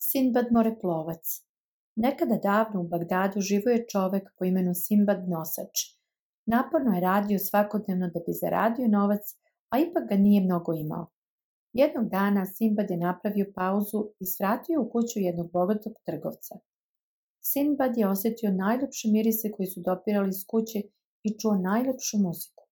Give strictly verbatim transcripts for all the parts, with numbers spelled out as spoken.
Sinbad moreplovac. Nekada davno u Bagdadu živio je čovek po imenu Sinbad nosač. Naporno je radio svakodnevno da bi zaradio novac, a ipak ga nije mnogo imao. Jednog dana Sinbad je napravio pauzu i svratio u kuću jednog bogatog trgovca. Sinbad je osjetio najljepše mirise koji su dopirali iz kuće i čuo najlepšu muziku.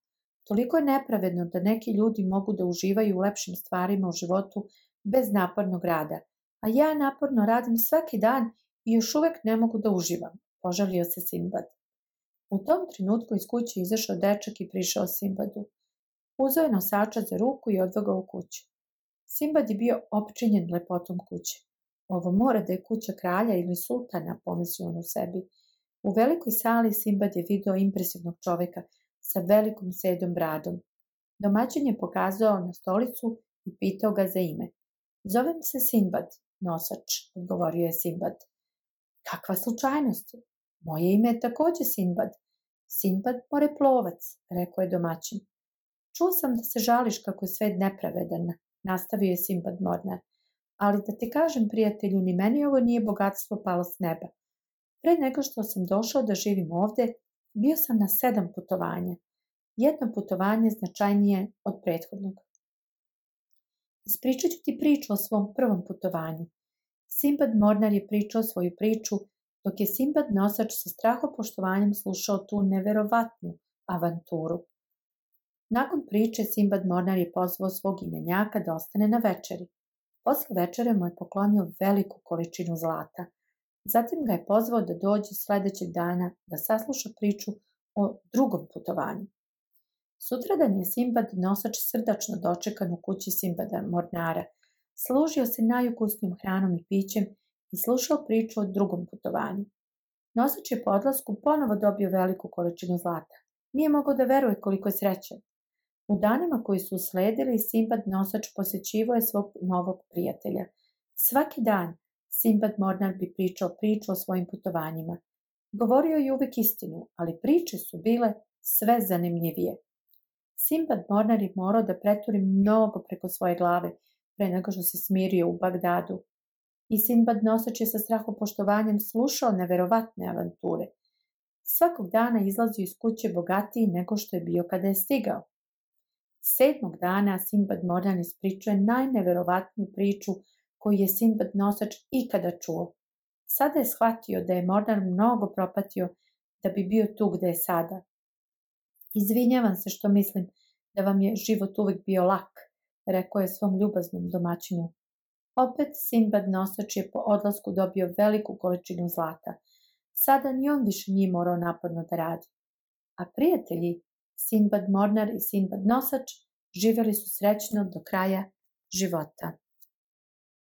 Toliko je nepravedno da neki ljudi mogu da uživaju u lepšim stvarima u životu bez napornog rada, a ja naporno radim svaki dan i još uvek ne mogu da uživam, požalio se Sinbad. U tom trenutku iz kuće izašao dečak i prišao Sinbadu. Uzeo je nosača za ruku i odveo ga u kuću. Sinbad je bio opčinjen lepotom kuće. Ovo mora da je kuća kralja ili sultana, pomislio on u sebi. U velikoj sali Sinbad je video impresivnog čoveka sa velikom sedom bradom. Domaćin je pokazao na stolicu i pitao ga za ime. Zovem se Sinbad, nosač, odgovorio je Sinbad. Kakva slučajnost? Moje ime je takođe Sinbad. Sinbad moreplovac, rekao je domaćin. Čuo sam da se žališ kako je svet nepravedan, nastavio je Sinbad Mornar. Ali da ti kažem, prijatelju, ni meni ovo nije bogatstvo palo s neba. Pre nego što sam došao da živim ovde, bio sam na sedam putovanja. Jedno putovanje značajnije od prethodnog. Ispričat ću ti priču o svom prvom putovanju. Sinbad Mornar je pričao svoju priču, dok je Sinbad nosač sa strahopoštovanjem slušao tu neverovatnu avanturu. Nakon priče Sinbad Mornar je pozvao svog imenjaka da ostane na večeri. Posle večere mu je poklonio veliku količinu zlata. Zatim ga je pozvao da dođe sledećeg dana da sasluša priču o drugom putovanju. Sutradan je Sinbad nosač srdačno dočekan u kući Sinbada Mornara. Služio se najukusnijom hranom i pićem i slušao priču o drugom putovanju. Nosač je po odlasku ponovo dobio veliku količinu zlata. Nije mogao da veruje koliko je srećan. U danima koji su usledili, Sinbad nosač posjećivao je svog novog prijatelja. Svaki dan Sinbad Mornar bi pričao priču o svojim putovanjima. Govorio je uvek istinu, ali priče su bile sve zanimljivije. Sinbad Mornar je morao da preturi mnogo preko svoje glave pre nego što se smirio u Bagdadu. I Sinbad nosač je sa strahopoštovanjem slušao neverovatne avanture. Svakog dana izlazio iz kuće bogatiji nego što je bio kada je stigao. Sedmog dana Sinbad Mornar ispričao je najneverovatniju priču koju je Sinbad nosač ikada čuo. Sada je shvatio da je Mornar mnogo propatio da bi bio tu gde je sada. Izvinjavam se što mislim da vam je život uvek bio lak, rekao je svom ljubaznom domaćinu. Opet Sinbad nosač je po odlasku dobio veliku količinu zlata. Sada ni on više nije morao naporno da radi. A prijatelji, Sinbad Mornar i Sinbad nosač, živjeli su srećno do kraja života.